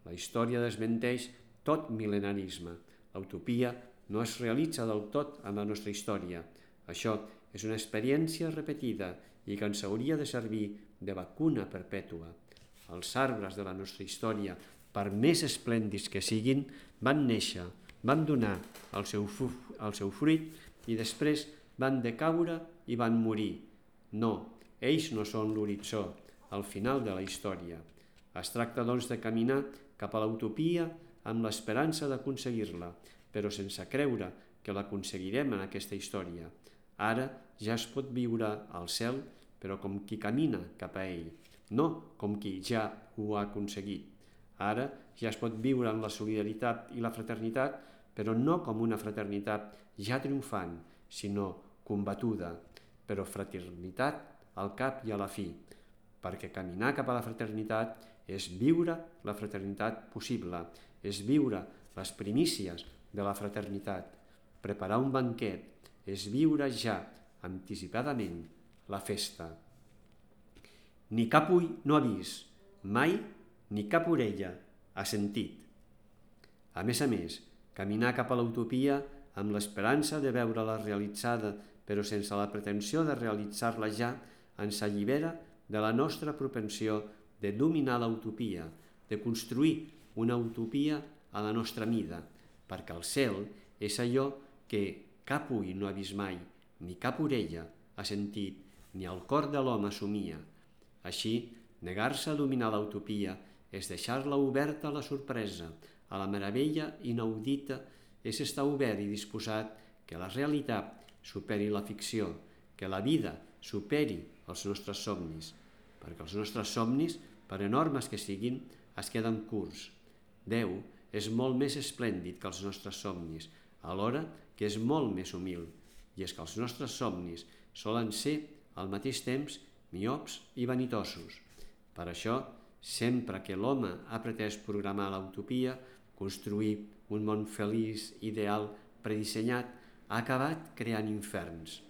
A: La història desmenteix tot mil·lenarisme. L'utopia no es realitza del tot en la nostra història. Això és una experiència repetida i que ens hauria de servir de vacuna perpètua. Els arbres de la nostra història, per més esplèndids que siguin, van néixer, van donar el seu, el seu fruit i després van decaure i van morir. No, ells no són l'horitzó, al final de la història. Es tracta, doncs, de caminar cap a l'utopia amb l'esperança d'aconseguir-la, però sense creure que l'aconseguirem en aquesta història. Ara ja es pot viure al cel, però com qui camina cap a ell, no com qui ja ho ha aconseguit. Ara ja es pot viure en la solidaritat i la fraternitat, però no com una fraternitat ja triomfant, sinó combatuda, però fraternitat al cap i a la fi, perquè caminar cap a la fraternitat és viure la fraternitat possible, és viure les primícies de la fraternitat. Preparar un banquet és viure ja, anticipadament, la festa. Ni cap ull no ha vist, mai ni cap orella ha sentit. A més a més, caminar cap a l'utopia amb l'esperança de veure-la realitzada, però sense la pretensió de realitzar-la ja, ens allibera de la nostra propensió de dominar l'utopia, de construir una utopia a la nostra mida, perquè el cel és allò que cap ull no ha vist mai, ni cap orella ha sentit, ni el cor de l'home somia. Així, negar-se a dominar l'utopia és deixar-la oberta a la sorpresa, a la meravella inaudita, és estar obert i disposat que la realitat superi la ficció, que la vida superi els nostres somnis, perquè els nostres somnis, per enormes que siguin, es queden curts. Déu és molt més esplèndid que els nostres somnis, alhora que és molt més humil, i és que els nostres somnis solen ser, al mateix temps, miops i vanitosos. Per això, sempre que l'home ha pretès programar l'utopia, construir un món feliç, ideal, predissenyat, ha acabat creant inferns.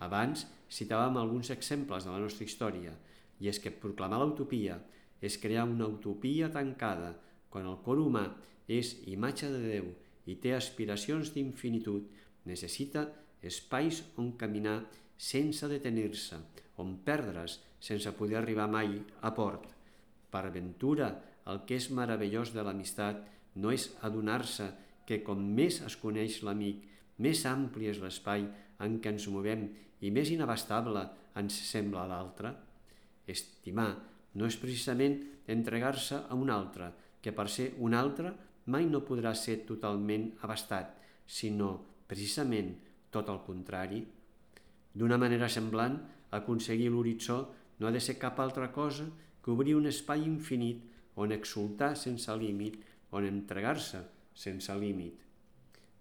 A: Abans citàvem alguns exemples de la nostra història, i és que proclamar l'utopia és crear una utopia tancada, quan el cor humà és imatge de Déu i té aspiracions d'infinitud, necessita espais on caminar sense detenir-se, on perdre's sense poder arribar mai a port. Per ventura, el que és meravellós de l'amistat no és adonar-se que com més es coneix l'amic, més ampli és l'espai en què ens movem i més inabastable ens sembla l'altre. Estimar no és precisament entregar-se a un altre, que per ser un altre mai no podrà ser totalment abastat, sinó precisament tot el contrari. D'una manera semblant, aconseguir l'horitzó no ha de ser cap altra cosa que obrir un espai infinit on exultar sense límit, on entregar-se sense límit.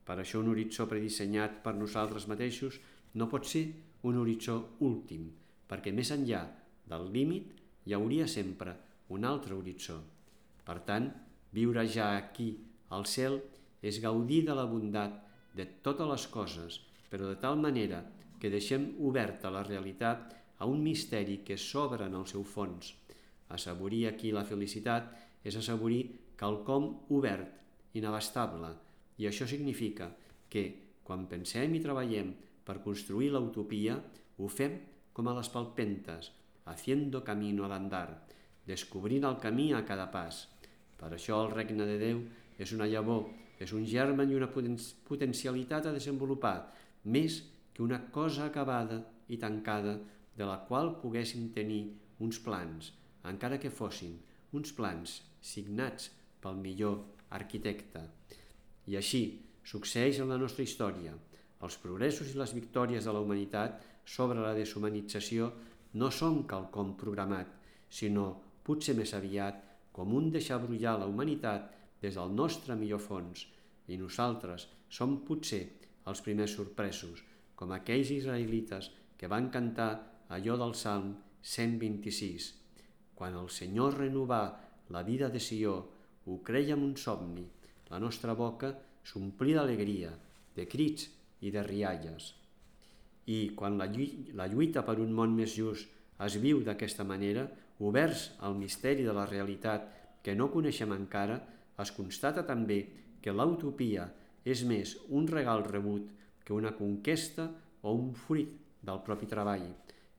A: Per això un horitzó predissenyat per nosaltres mateixos no pot ser un horitzó últim, perquè més enllà del límit hi hauria sempre un altre horitzó. Per tant, viure ja aquí, al cel, és gaudir de la bondat de totes les coses, però de tal manera que deixem oberta la realitat a un misteri que s'obre en el seu fons. Assaborir aquí la felicitat és assaborir quelcom obert, inabastable, i això significa que, quan pensem i treballem per construir l'utopia, ho fem com a les palpentes, haciendo camino al andar, descobrint el camí a cada pas. Per això el regne de Déu és una llavor, és un germen i una potencialitat a desenvolupar, més que una cosa acabada i tancada de la qual poguéssim tenir uns plans, encara que fossin uns plans signats pel millor arquitecte. I així succeeix en la nostra història. Els progressos i les victòries de la humanitat sobre la deshumanització no són quelcom programat, sinó, potser més aviat, com un deixar brollar la humanitat des del nostre millor fons, i nosaltres som potser els primers sorpresos, com aquells israelites que van cantar allò del Salm cent vint-i-sis. Quan el Senyor renovà la vida de Sió, ho crèiem un somni, la nostra boca s'omplí d'alegria, de crits i de rialles. I quan la lluita per un món més just es viu d'aquesta manera, oberts al misteri de la realitat que no coneixem encara, es constata també que l'utopia és més un regal rebut que una conquesta o un fruit del propi treball.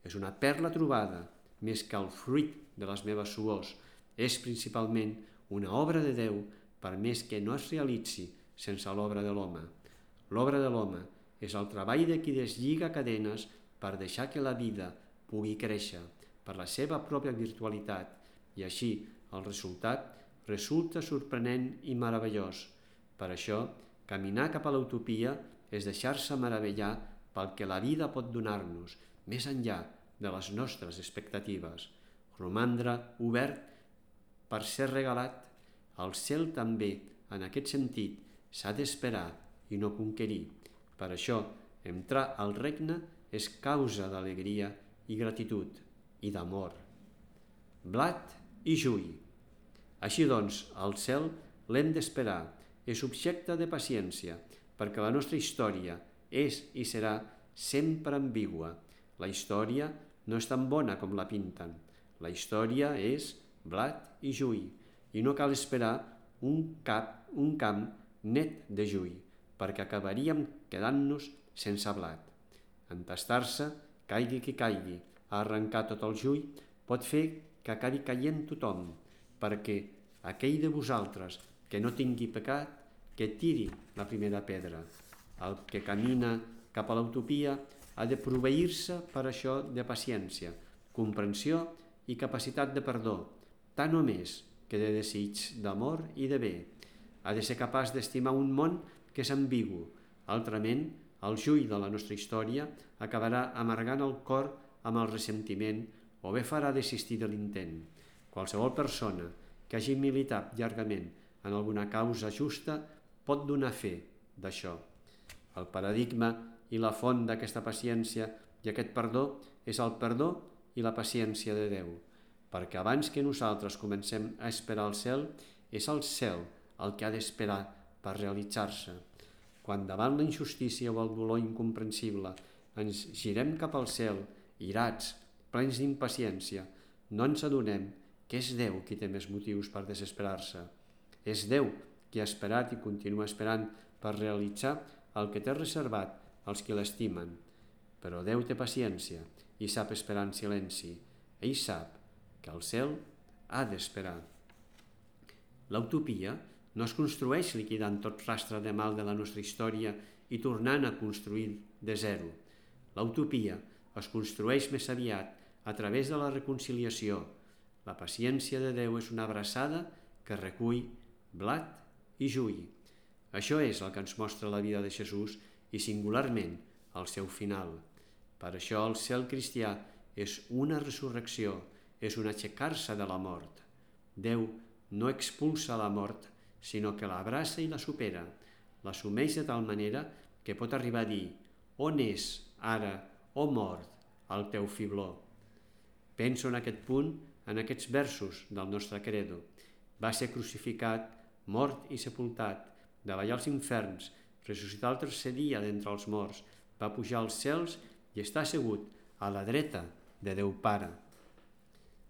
A: És una perla trobada, més que el fruit de les meves suors. És principalment una obra de Déu, per més que no es realitzi sense l'obra de l'home. L'obra de l'home és el treball de qui deslliga cadenes per deixar que la vida pugui créixer per la seva pròpia virtualitat, i així el resultat resulta sorprenent i meravellós. Per això, caminar cap a l'utopia és deixar-se meravellar pel que la vida pot donar-nos, més enllà de les nostres expectatives. Romandre obert per ser regalat. El cel també, en aquest sentit, s'ha d'esperar i no conquerir. Per això, entrar al regne és causa d'alegria i gratitud i d'amor. Blat i juí. Així doncs, el cel l'hem d'esperar, és objecte de paciència, perquè la nostra història és i serà sempre ambigua. La història no és tan bona com la pinten. La història és blat i juí, i no cal esperar un, cap, un camp net de juí, perquè acabaríem quedant-nos sense blat. Entastar-se, caigui qui caigui, a arrencar tot el juí, pot fer que acabi caient tothom, perquè aquell de vosaltres que no tingui pecat, que tiri la primera pedra. El que camina cap a l'utopia ha de proveir-se per això de paciència, comprensió i capacitat de perdó, tant o més que de desig d'amor i de bé. Ha de ser capaç d'estimar un món que és ambigu. Altrament, el juí de la nostra història acabarà amargant el cor amb el ressentiment o bé farà desistir de l'intent. Qualsevol persona que hagi militat llargament en alguna causa justa pot donar fe d'això. El paradigma i la font d'aquesta paciència i aquest perdó és el perdó i la paciència de Déu, perquè abans que nosaltres comencem a esperar el cel, és el cel el que ha d'esperar per realitzar-se. Quan davant la injustícia o el dolor incomprensible ens girem cap al cel, irats, plens d'impaciència, no ens adonem que és Déu qui té més motius per desesperar-se. És Déu qui ha esperat i continua esperant per realitzar el que té reservat als qui l'estimen. Però Déu té paciència i sap esperar en silenci. Ell sap que el cel ha d'esperar. L'utopia no es construeix liquidant tot rastre de mal de la nostra història i tornant a construir de zero. L'utopia es construeix més aviat a través de la reconciliació. La paciència de Déu és una abraçada que recull blat i juí. Això és el que ens mostra la vida de Jesús i singularment el seu final. Per això el cel cristià és una resurrecció, és un aixecar-se de la mort. Déu no expulsa la mort, sinó que l'abraça i la supera, l'assumeix de tal manera que pot arribar a dir: on és ara, oh mort, el teu fibló? Penso en aquest punt, en aquests versos del nostre credo. Va ser crucificat, mort i sepultat, davallar als inferns, ressuscitar el tercer dia d'entre els morts, va pujar als cels i està assegut a la dreta de Déu Pare.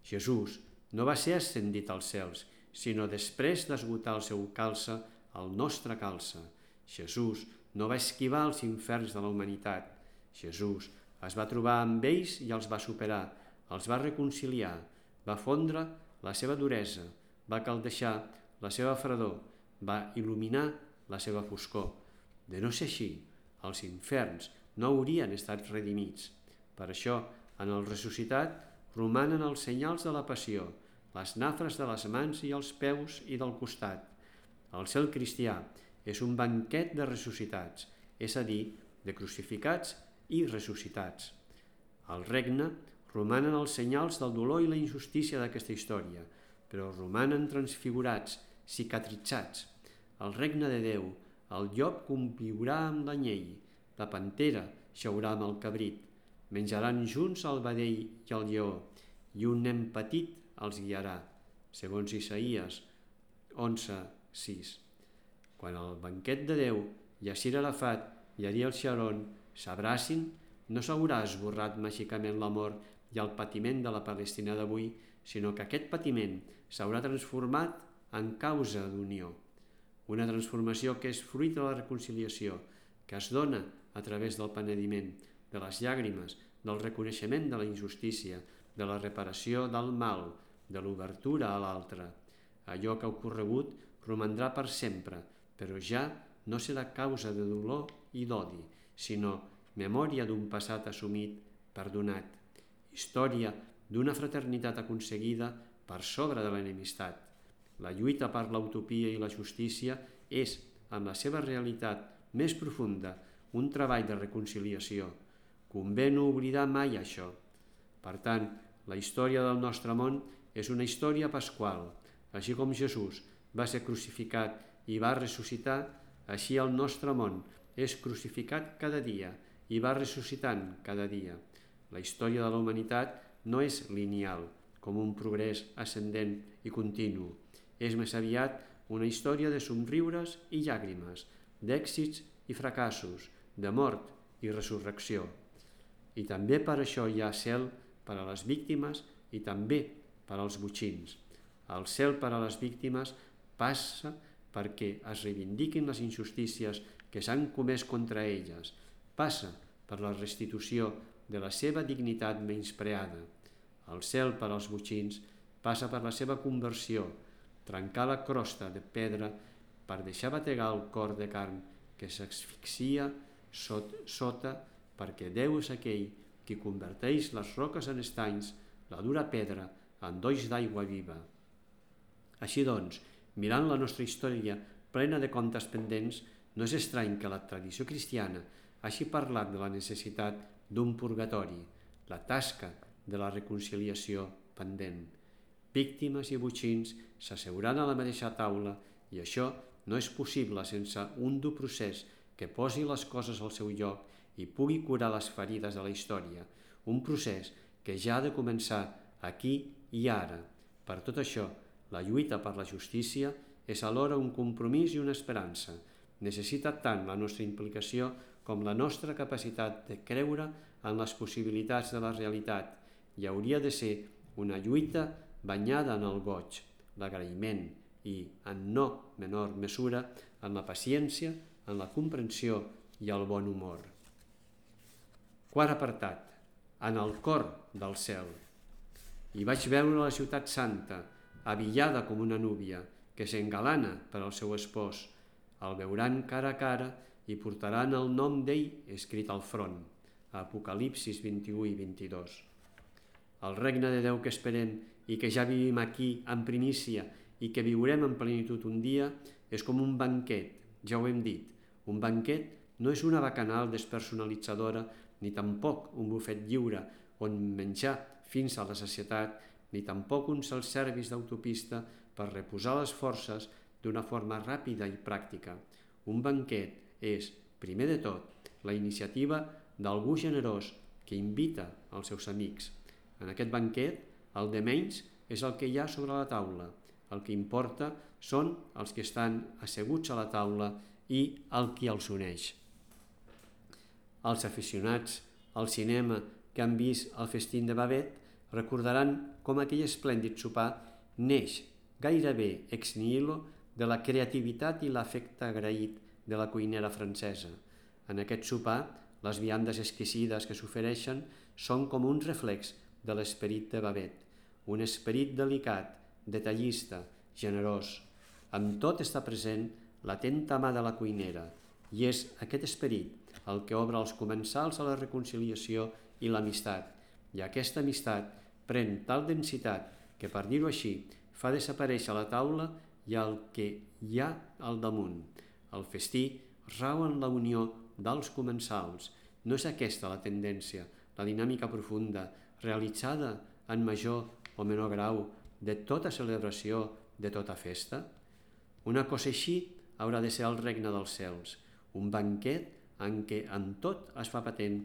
A: Jesús no va ser ascendit als cels, sinó després d'esgotar el seu calze, el nostre calze. Jesús no va esquivar els inferns de la humanitat. Jesús es va trobar amb ells i els va superar, els va reconciliar, va fondre la seva duresa, va caldeixar la seva fredor, va il·luminar la seva foscor. De no ser així, els inferns no haurien estat redimits. Per això, en el ressuscitat, romanen els senyals de la passió, les nafres de les mans i els peus i del costat. El cel cristià és un banquet de ressuscitats, és a dir, de crucificats i ressuscitats. Al regne romanen els senyals del dolor i la injustícia d'aquesta història, però romanen transfigurats, cicatritzats. Al regne de Déu, el llop conviurà amb l'anyell, la pantera xaurà amb el cabrit, menjaran junts el vedell i el lleó, i un nen petit els guiarà, segons Isaïes onze sis. Quan el banquet de Déu i Yasir Arafat i Ariel Sharon s'abracin, no s'haurà esborrat màgicament l'amor i el patiment de la Palestina d'avui, sinó que aquest patiment s'haurà transformat en causa d'unió. Una transformació que és fruit de la reconciliació, que es dona a través del penediment, de les llàgrimes, del reconeixement de la injustícia, de la reparació del mal, de l'obertura a l'altre. Allò que ha ocorregut romandrà per sempre, però ja no serà causa de dolor i d'odi, sinó memòria d'un passat assumit, perdonat, història d'una fraternitat aconseguida per sobre de l'enemistat. La lluita per l'utopia i la justícia és, en la seva realitat més profunda, un treball de reconciliació. Convé no oblidar mai això. Per tant, la història del nostre món és una història pasqual. Així com Jesús va ser crucificat i va ressuscitar, així el nostre món és crucificat cada dia i va ressuscitant cada dia. La història de la humanitat no és lineal, com un progrés ascendent i continu. És més aviat una història de somriures i llàgrimes, d'èxits i fracassos, de mort i resurrecció. I també per això hi ha cel per a les víctimes i també per als botxins. El cel per a les víctimes passa perquè es reivindiquin les injustícies que s'han comès contra elles, passa per la restitució de la seva dignitat menyspreada. El cel per als botxins passa per la seva conversió, trencar la crosta de pedra per deixar bategar el cor de carn que s'asfixia sot, sota perquè Déu és aquell qui converteix les roques en estanys, la dura pedra en dolls d'aigua viva. Així doncs, mirant la nostra història plena de comptes pendents, no és estrany que la tradició cristiana hagi parlat de la necessitat d'un purgatori, la tasca de la reconciliació pendent. Víctimes i botxins s'asseuran a la mateixa taula i això no és possible sense un dur procés que posi les coses al seu lloc i pugui curar les ferides de la història, un procés que ja ha de començar aquí i ara. Per tot això, la lluita per la justícia és alhora un compromís i una esperança. Necessita tant la nostra implicació com la nostra capacitat de creure en les possibilitats de la realitat i hauria de ser una lluita banyada en el goig, l'agraïment i, en no menor mesura, en la paciència, en la comprensió i el bon humor. Quart apartat. En el cor del cel. I vaig veure la ciutat santa, avillada com una núvia, que s'engalana per al seu espòs. El veuran cara a cara i portaran el nom d'ell escrit al front. Apocalipsis vint-i-u i vint-i-dos. El regne de Déu que esperem i que ja vivim aquí en primícia i que viurem en plenitud un dia és com un banquet, ja ho hem dit. Un banquet no és una bacanal despersonalitzadora ni tampoc un bufet lliure on menjar fins a la sacietat, ni tampoc un self-service d'autopista per reposar les forces d'una forma ràpida i pràctica. Un banquet és, primer de tot, la iniciativa d'algú generós que invita els seus amics. En aquest banquet, el de menys és el que hi ha sobre la taula. El que importa són els que estan asseguts a la taula i el qui els uneix. Els aficionats al cinema que han vist el festín de Babet recordaran com aquell esplèndid sopar neix gairebé ex nihilo de la creativitat i l'afecte agraït de la cuinera francesa. En aquest sopar, les viandes exquisides que s'ofereixen són com un reflex de l'esperit de Babet, un esperit delicat, detallista, generós. Amb tot està present l'atenta mà de la cuinera, i és aquest esperit el que obre els comensals a la reconciliació i l'amistat, i aquesta amistat pren tal densitat que, per dir-ho així, fa desaparèixer la taula i el que hi ha al damunt. El festí rau en la unió dels comensals. No és aquesta la tendència, la dinàmica profunda, realitzada en major o menor grau de tota celebració, de tota festa? Una cosa així haurà de ser el regne dels cels, un banquet en què en tot es fa patent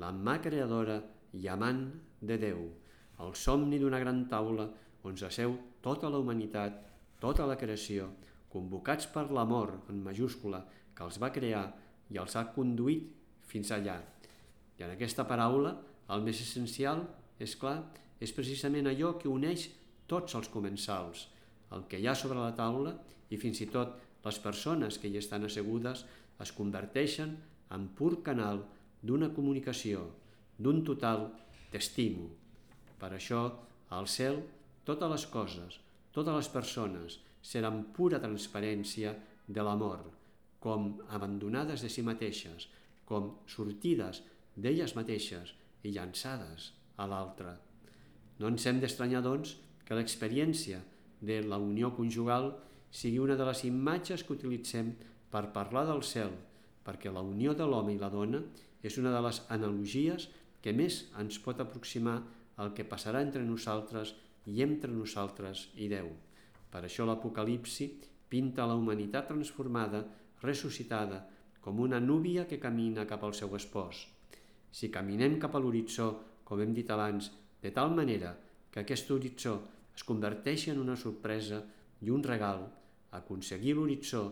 A: la mà creadora i amant de Déu, el somni d'una gran taula on s'asseu tota la humanitat, tota la creació, convocats per l'amor en majúscula que els va crear i els ha conduït fins allà. I en aquesta paraula, el més essencial, és clar, és precisament allò que uneix tots els comensals, el que hi ha sobre la taula, i fins i tot les persones que hi estan assegudes es converteixen en pur canal d'una comunicació, d'un total t'estimo. Per això, al cel, totes les coses, totes les persones seran pura transparència de l'amor, com abandonades de si mateixes, com sortides d'elles mateixes i llançades a l'altre. No ens hem d'estranyar, doncs, que l'experiència de la unió conjugal sigui una de les imatges que utilitzem per parlar del cel, perquè la unió de l'home i la dona és una de les analogies que més ens pot aproximar al que passarà entre nosaltres i entre nosaltres i Déu. Per això l'Apocalipsi pinta la humanitat transformada, ressuscitada, com una núvia que camina cap al seu espòs. Si caminem cap a l'horitzó, com hem dit abans, de tal manera que aquest horitzó es converteixi en una sorpresa i un regal, aconseguir l'horitzó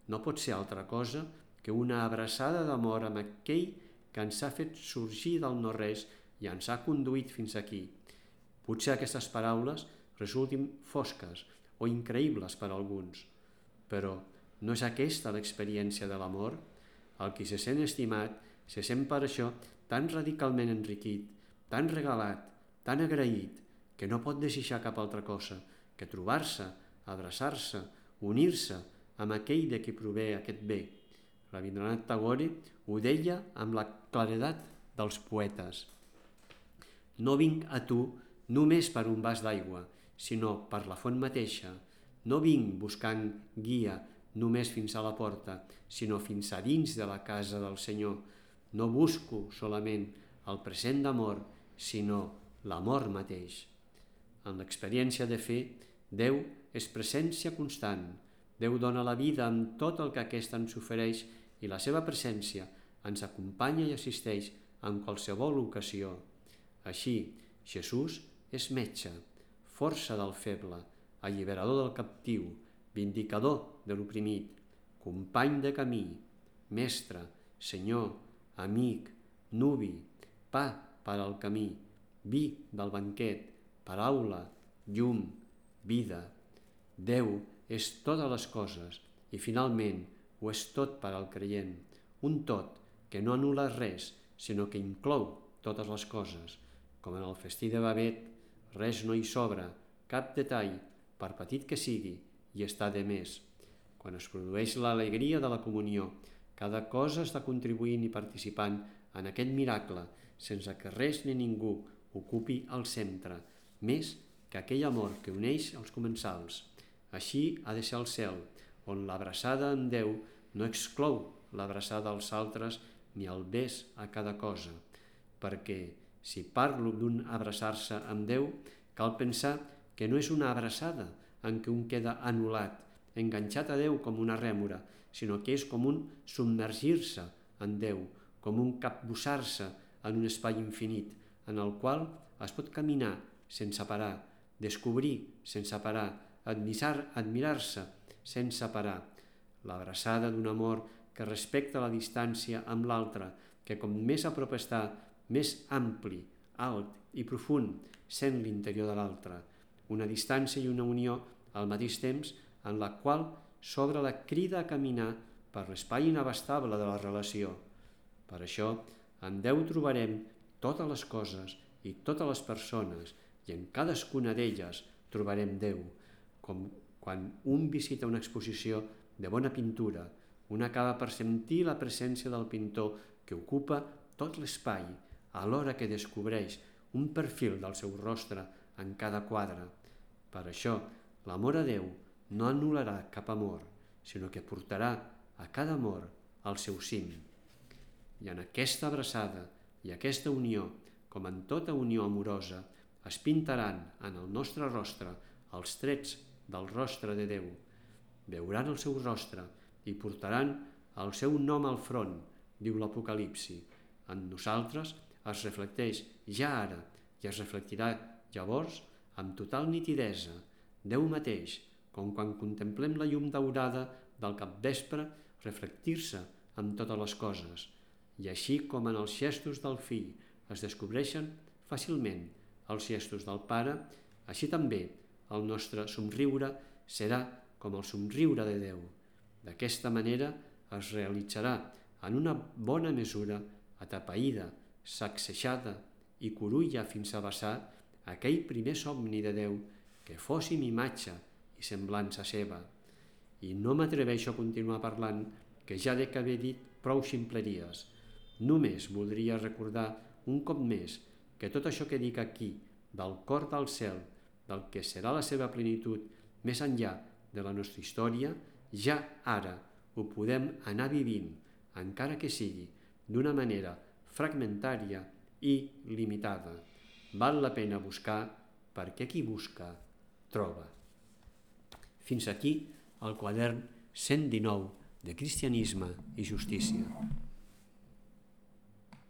A: no pot ser altra cosa que una abraçada d'amor amb aquell que ens ha fet sorgir del no-res i ens ha conduït fins aquí. Potser aquestes paraules resultin fosques o increïbles per a alguns, però no és aquesta l'experiència de l'amor? El qui se sent estimat se sent per això tan radicalment enriquit, tan regalat, tan agraït, que no pot desitjar cap altra cosa que trobar-se, abraçar-se, unir-se amb aquell de qui prové aquest bé. Rabindranath Tagore ho deia amb la claredat dels poetes. No vinc a tu només per un vas d'aigua, sinó per la font mateixa. No vinc buscant guia només fins a la porta, sinó fins a dins de la casa del Senyor. No busco solament el present d'amor, sinó l'amor mateix. En l'experiència de fer, Déu és presència constant. Déu dona la vida amb tot el que aquesta ens ofereix i la seva presència ens acompanya i assisteix en qualsevol ocasió. Així, Jesús és metge, força del feble, alliberador del captiu, vindicador de l'oprimit, company de camí, mestre, senyor, amic, nuvi, pa per al camí, vi del banquet, paraula, llum, vida. Déu és totes les coses i finalment ho és tot per al creient, un tot que no anul·la res, sinó que inclou totes les coses. Com en el festí de Babet, res no hi sobra, cap detall, per petit que sigui, i està de més. Quan es produeix l'alegria de la comunió, cada cosa està contribuint i participant en aquest miracle, sense que res ni ningú ocupi el centre, més que aquell amor que uneix els comensals. Així ha de ser el cel, on l'abraçada en Déu no exclou l'abraçada als altres ni el bes a cada cosa, perquè si parlo d'un abraçar-se amb Déu, cal pensar que no és una abraçada en què un queda anul·lat, enganxat a Déu com una rèmora, sinó que és com un submergir-se en Déu, com un capbussar-se en un espai infinit, en el qual es pot caminar sense parar, descobrir sense parar, admirar, admirar-se sense parar. L'abraçada d'un amor que respecta la distància amb l'altre, que com més a prop està, més ampli, alt i profund sent l'interior de l'altre. Una distància i una unió al mateix temps en la qual s'obre la crida a caminar per l'espai inabastable de la relació. Per això, en Déu trobarem totes les coses i totes les persones, i en cadascuna d'elles trobarem Déu, com quan un visita una exposició de bona pintura, un acaba per sentir la presència del pintor que ocupa tot l'espai, alhora que descobreix un perfil del seu rostre en cada quadre. Per això, l'amor a Déu no anul·larà cap amor, sinó que portarà a cada amor al seu cim. I en aquesta abraçada i aquesta unió, com en tota unió amorosa, es pintaran en el nostre rostre els trets del rostre de Déu. Veuran el seu rostre i portaran el seu nom al front, diu l'Apocalipsi. En nosaltres es reflecteix ja ara i es reflectirà llavors amb total nitidesa Déu mateix, com quan contemplem la llum daurada del capvespre reflectir-se en totes les coses. I així com en els gestos del fill es descobreixen fàcilment els gestos del pare, així també el nostre somriure serà com el somriure de Déu. D'aquesta manera es realitzarà en una bona mesura atapeïda, sacsejada i curulla fins a vessar aquell primer somni de Déu que fóssim imatge i semblança seva. I no m'atreveixo a continuar parlant, que ja dec haver dit prou ximpleries. Només voldria recordar un cop més que tot això que dic aquí, del cor del cel, del que serà la seva plenitud més enllà de la nostra història, ja ara ho podem anar vivint, encara que sigui d'una manera fragmentària i limitada. Val la pena buscar, perquè qui busca, troba. Fins aquí el quadern cent dinou de Cristianisme i Justícia.